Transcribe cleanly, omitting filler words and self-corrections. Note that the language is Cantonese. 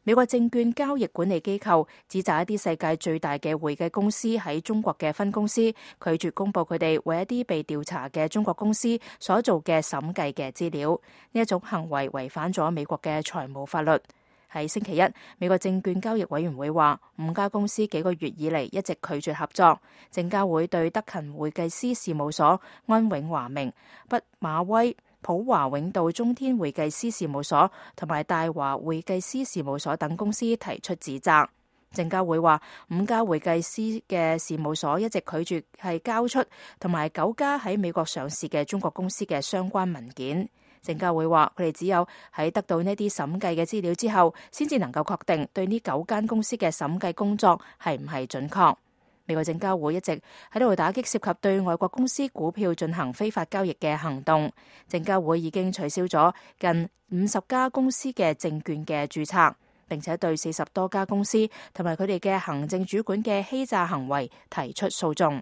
美國證券交易管理機構指責一啲世界最大嘅會計公司喺中國嘅分公司拒絕公佈佢哋為一啲被調查嘅中國公司所做嘅審計嘅資料，呢一種行為違反咗美國嘅財務法律。喺星期一，美國證券交易委員會話，5家公司幾個月以嚟一直拒絕合作。證監會對德勤會計師事務所、安永華明、畢馬威、普華永道中天會計師事務所同埋大華會計師事務所等公司提出指責。證監會話，5家會計師嘅事務所一直拒絕係交出同埋9家喺美國上市嘅中國公司嘅相關文件。證監會話，佢哋只有喺得到呢啲審計嘅資料之後，先至能夠確定對呢9間公司嘅審計工作係唔係準確。美國證監會一直喺度打擊涉及對外國公司股票進行非法交易嘅行動。證監會已經取消咗近50家公司嘅證券嘅註冊，並且對40多家公司同埋佢哋嘅行政主管嘅欺詐行為提出訴訟。